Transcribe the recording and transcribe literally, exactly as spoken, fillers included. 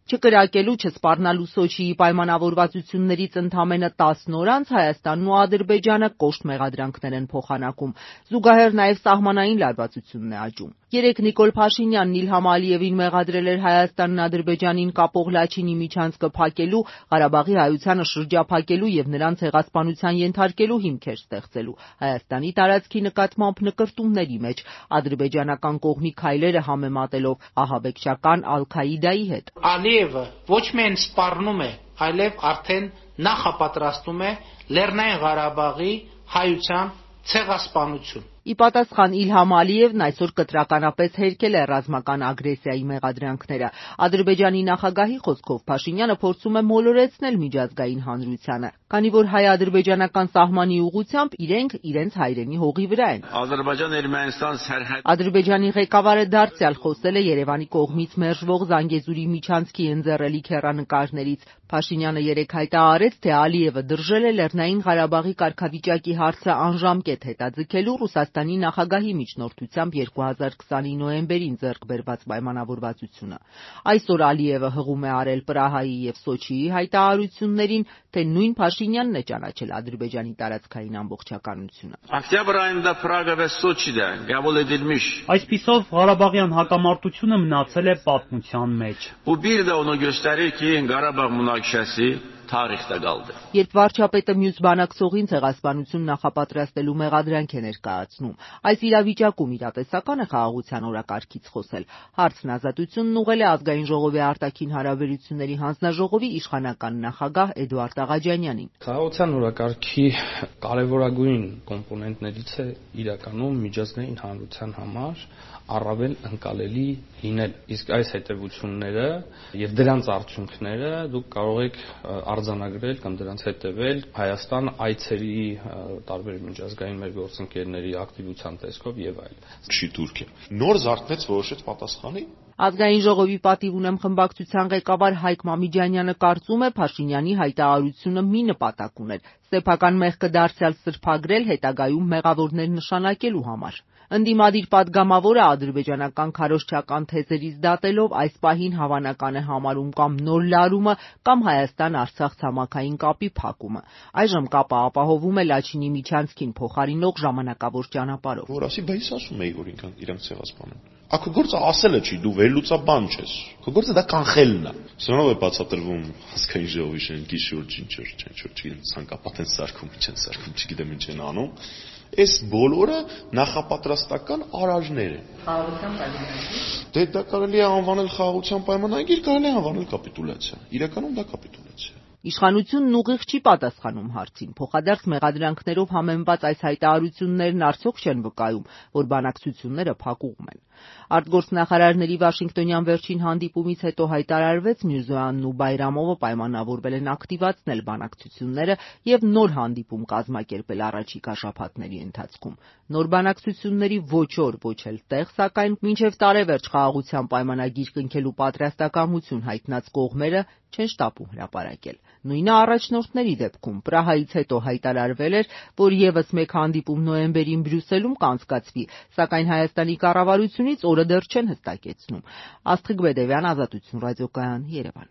Չկրակելու, չսպառնալու Սոչիի պայմանավորվածություններից ընդամենը տասն օր անց Հայաստանն ու Ադրբեջանը կոշտ մեղադրանքներ են փոխանակում, զուգահեռ նաև սահմանային լարվածությունն է աճում։ Երեկ Նիկոլ Փաշինյանն Իլհամ Ալիևին մեղադրել էր Հայաստանն Ադրբեջանին կապող Լաչինի միջանցքը փակելու, Ղարաբաղի հայությանը շրջափակելու եւ նրան ցեղասպանության ենթարկելու հիմքեր ստեղծելու, Հայաստանի տարածքի նկատմամբ նկրտումների մեջ, ադրբեջանական կողմի քայլերը համեմատելով ահաբեկչական Ալ-Քաիդայի հետ։ Ալիևը ոչ միայն սպառնում է, այլև արդեն նախապատրաստում է Լեռնային Ղարաբաղի հայության ցեղասպանություն։ Ի պատասխան Իլհամ Ալիևն այսօր կտրականապես հերքել է ռազմական ագրեսիայի մեղադրանքները։ Ադրբեջանի նախագահի խոսքով Փաշինյանը փորձում է մոլորեցնել միջազգային հանրությանը, քանի որ հայ-ադրբեջանական սահմանի ուղղությամբ իրենք իրենց հայրենի հողի վրա են։ Ադրբեջանի ղեկավարը դարձյալ խոսել է Երևանի կողմից մերժվող Զանգեզուրի միջանցքի ընձեռելիք հեռանկարներից։ Փաշինյանը երեկ հայտարարեց, թե Ալիևը դրժել է Լեռնային Ղարաբաղի կարգավիճակի հարցը անժամկետ հետաձգելու Ռուսաստանի նախագահի միջնորդությամբ երկու հազար քսանի նոյեմբերին ձեռք բերված պայմանավորվածությունը։ Այսօր Ալիևը հղում է արել Պրահայի եւ Սոչիի հայտարարություններին, թե նույն Փաշինյանն է ճանաչել Ադրբեջանի տարածքային ամբողջականությունը։ Այսպիսով Ղարաբաղյան հակամարտությունը մնացել է պատմության մեջ։ Երբ վարչապետը մյուս բանակցողին ցեղասպանություն նախապատրաստելու մեղադրանք է ներկայացնում, այս իրավիճակում իրատեսական է խաղաղության օրակարգից խոսել։ Հարցն ազատությունն ուղղել է Ազգային ժողովի արտաքին հարաբերությունների հանձնաժողովի իշխանական նախագահ Էդուարդ Աղաջանյանին։ Խաղաղության օրակարգի կարևորագույն կոմպոնենտներից է իրականում միջազգային հանրության համար առավել ընկալելի լինել։ Իսկ այս հետևությունները եւ դրանց արդյունքները դուք կարող եք արձանագրել կամ դրանց հետևել Հայաստան այցերի տարբեր միջազգային մեր գործընկերների ակտիվության տեսքով եւ այլն։ Չի Թուրքիա նոր զարթնեց, որոշեց պատասխանի։ Ազգային ժողովի պատիվ ունեմ խմբակցության ղեկավար Հայկ Մամիջանյանը կարծում է Փաշինյանի հայտարարությունը մի նպատակ ուներ՝ սեփական մեղքը դարձյալ սրբագրել հետագայում մեղավորներ նշանակելու համար։ Ընդդիմադիր պատգամավորը ադրբեջանական քարոզչական թեզերից դատելով այս պահին հավանական է համարում կամ նոր լարումը, կամ Հայաստան-Արցախ ցամաքային կապի փակումը։ Այժմ կապը ապահովում է Լաչինի միջանցքին փոխարինող ժամանակավոր ճանապարհով։ Որ ասի, բայց ասում էի, որ ինքան իրանք ցեղասպանում։ Ակո գործը ասելը չի, դու վերլուծաբան ես։ Քո գործը դա կանխելն է։ Սրանով է բացատրվում Ազգային ժողովի շենքի շուրջ ինչ որ, ինչ որ չգիտեմ, ցանկապատ են սարքում, չեն սարքում, չգիտեմ ինչ են անում։ Այս բոլորը նախապատրաստական արարժներ են։ Խաղաղության պայմանագիր։ Դե դա կարելի է անվանել խաղաղության պայմանագիր, կարելի է անվանել կապիտուլյացիա։ Իրականում դա կապիտուլյացիա է։ Իշխանությունն ուղիղ չի պատասխանում հարցին։ Փոխադարձ մեղադրանքներով համեմված այս հայտարարություններն արդյոք չեն վկայում, որ բանակցությունները փակուղում են։ Արտգործնախարարների Վաշինգտոնյան վերջին հանդիպումից հետո հայտարարվեց Միրզոյանն ու Բայրամովը պայմանավորվել են ակտիվացնել բանակցությունները եւ նոր հանդիպում կազմակերպել առաջիկա շաբաթների ընթացքում։ Նոր բանակցությունների ոչ օր, ոչ էլ տեղ, սակայն մինչև տարեվերջ խաղաղության պայմանագիր կնքելու պատրաստակամություն հայտնած կողմերը չեն շտապում հրապարակել։ Նույնը առաջնորդների դեպքում Պրահայից հետո հայտարարվել էր, որ եւս մեկ հանդիպում նոյեմբերին Բրյուսելում կանցկացվի, սակայն Հայաստանի կառավարությունից օրը դեռ չեն հստակեցնում։ Աստղիկ Բեդևյան, Ազատություն ռադիոկայան, Երևան։